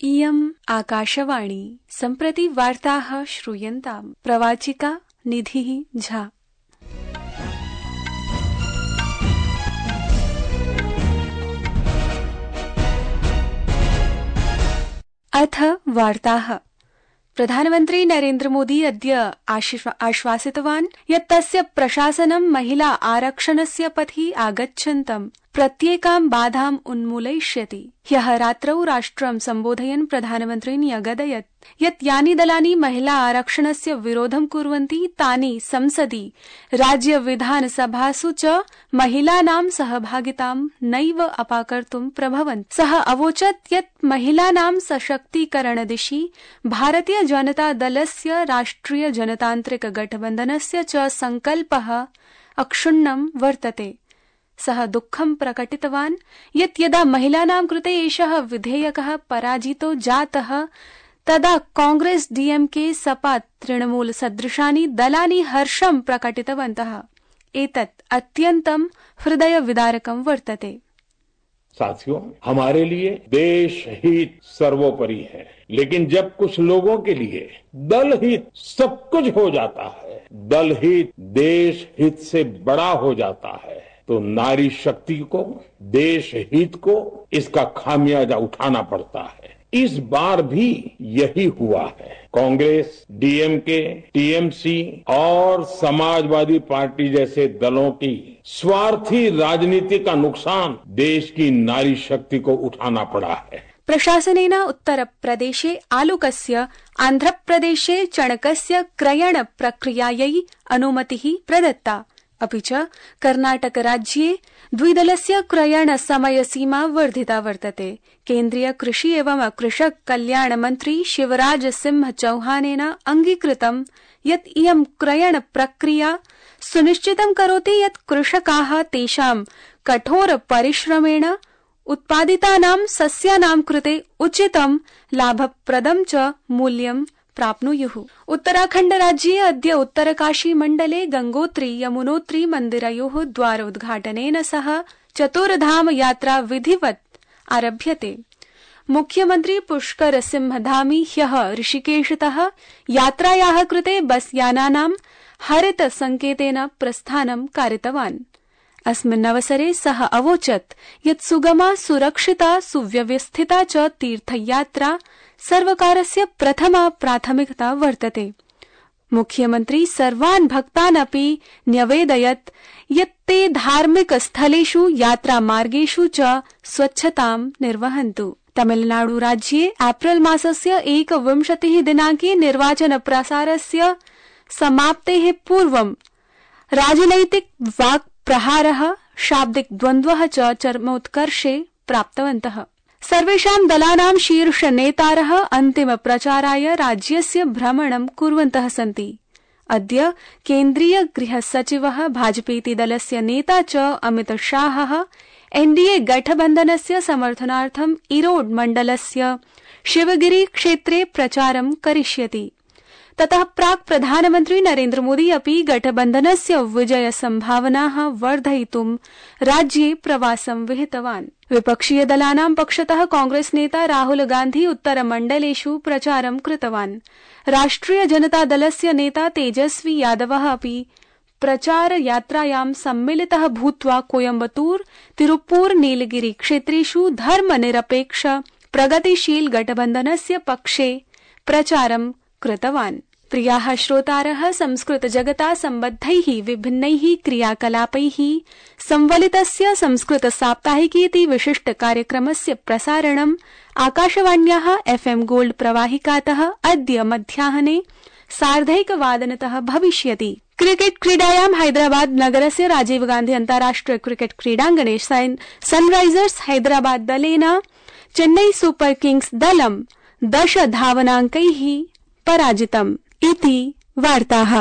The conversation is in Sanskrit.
इयम् आकाशवाणी सम्प्रति वार्ताः श्रूयन्ताम्। प्रवाचिका निधिः झा। अथ वार्ताः। प्रधानमन्त्री नरेन्द्र मोदी अद्य आश्वासितवान् यत् तस्य प्रशासनं महिला आरक्षणस्य पथि आगच्छन्तं प्रत्येकां बाधाम् उन्मूलयिष्यति। ह्यः रात्रौ राष्ट्रं सम्बोधयन् प्रधानमन्त्री न्यगदयत् यत् यानि दलानि महिला आरक्षणस्य विरोधं कुर्वन्ति तानि संसदि राज्य विधानसभासु च महिलानां सहभागितां नैव अपाकर्तुं प्रभवन्ति। सः अवोचत् यत् महिलानां सशक्तीकरणदिशि भारतीय जनता दलस्य राष्ट्रिय जनतान्त्रिक गठबन्धनस्य च सङ्कल्पः अक्षुण्णं वर्तते। सः दुःखं प्रकटितवान् यत् यदा महिलानां कृते एषः विधेयकः पराजितो जातः तदा कांग्रेस डीएमके सपा तृणमूल सदृशानि दलानि हर्षं प्रकटितवन्तः। एतत् अत्यन्तं हृदय विदारकं वर्तते। साथियों, हमारे लिए देश हित सर्वोपरि है, लेकिन जब कुछ लोगों के लिए दल हित सब कुछ हो जाता है, दल हित देश हित से बड़ा हो जाता है, तो नारी शक्ति को, देश हित को इसका खामियाजा उठाना पड़ता है। इस बार भी यही हुआ है। कांग्रेस, डीएमके, टीएमसी और समाजवादी पार्टी जैसे दलों की स्वार्थी राजनीति का नुकसान देश की नारी शक्ति को उठाना पड़ा है। प्रशासनेन उत्तरप्रदेशे आलुकस्य, आन्ध्रप्रदेशे चणकस्य क्रयण प्रक्रियायै अनुमतिः प्रदत्ता। अपि च कर्णाटकराज्ये द्विदलस्य क्रयण समयसीमा वर्धिता वर्तते। केन्द्रीय कृषि एवं कृषक कल्याण मन्त्री शिवराज सिंह चौहानेन अंगीकृतं यत् इयं क्रयण प्रक्रिया सुनिश्चितं करोति यत् कृषकाः तेषां कठोर परिश्रमेण उत्पादितानां सस्यानां कृते उचितं लाभप्रदं च मूल्यं प्राप्नुयुः। उत्तराखण्ड राज्ये अद्य उत्तरकाशी मण्डले गंगोत्री यमुनोत्री मन्दिरयोः द्वारोद्घाटनेन सह चतुर्धाम यात्रा विधिवत् आरभ्यते। मुख्यमन्त्री पुष्कर सिंह धामी ह्यः ऋषिकेशतः यात्रायाः कृते बस यानानां हरित संकेतेन प्रस्थानं कारितवान्। अस्मिन् अवसरे सः अवोचत् यत् सुगमा, सुरक्षिता, सुव्यवस्थिता च तीर्थयात्रा सर्वकारस्य प्रथमा प्राथमिकता वर्तते। मुख्यमन्त्री सर्वान् भक्तान् अपि न्यवेदयत् यत् ते धार्मिक स्थलेषु, यात्रामार्गेषु च स्वच्छतां निर्वहन्तु। तमिलनाडु राज्ये एप्रिल मासस्य 21 दिनाङ्के निर्वाचन प्रसारस्य समाप्तेः पूर्वं राजनैतिक वाक् प्रहारः, शाब्दिक द्वन्द्वः च चरमोत्कर्षे प्राप्तवन्तः। सर्वेषां दलानां शीर्ष नेतारः अन्तिम प्रचाराय राज्यस्य भ्रमणं कुर्वन्तः सन्ति। अद्य केन्द्रीय गृह सचिवः, भाजपेति दलस्य नेता च अमित शाहः एनडीए गठबन्धनस्य समर्थनार्थं इरोड मण्डलस्य शिवगिरी क्षेत्रे प्रचारं करिष्यति। ततः प्राक् प्रधानमन्त्री नरेन्द्र मोदी अपि गठबन्धनस्य विजय सम्भावनाः वर्धयितुं राज्ये प्रवासं विहितवान्। विपक्षीय दलानां पक्षतः कांग्रेस नेता राहुल गान्धी उत्तरमण्डलेषु प्रचारं कृतवान्। राष्ट्रिय जनता दलस्य नेता तेजस्वी यादवः अपि प्रचार यात्रायां सम्मिलितः भूत्वा कोयम्बतूर, तिरुप्पुर, नीलगिरी क्षेत्रेषु धर्मनिरपेक्ष प्रगतिशील गठबन्धनस्य पक्षे प्रचारं कृतवान्। प्रियाः श्रोतारः, संस्कृत जगता सम्बद्धैः विभिन्नैः क्रियाकलापैः संवलितस्य संस्कृत साप्ताहिकीति विशिष्ट कार्यक्रमस्य प्रसारणं आकाशवाण्याः FM गोल्ड प्रवाहिकातः अद्य मध्याह्ने 1:30 भविष्यति। क्रिकेट क्रीडायां हैदराबाद नगरस्य राजीव गान्धी अन्ताराष्ट्रिय क्रिकेट क्रीडाङ्गणे सनराइजर्स हैदराबाद दलेन चेन्नई सुपर किंग्स दलं 10 धावनाङ्कैः पराजितम् इति वार्ताः।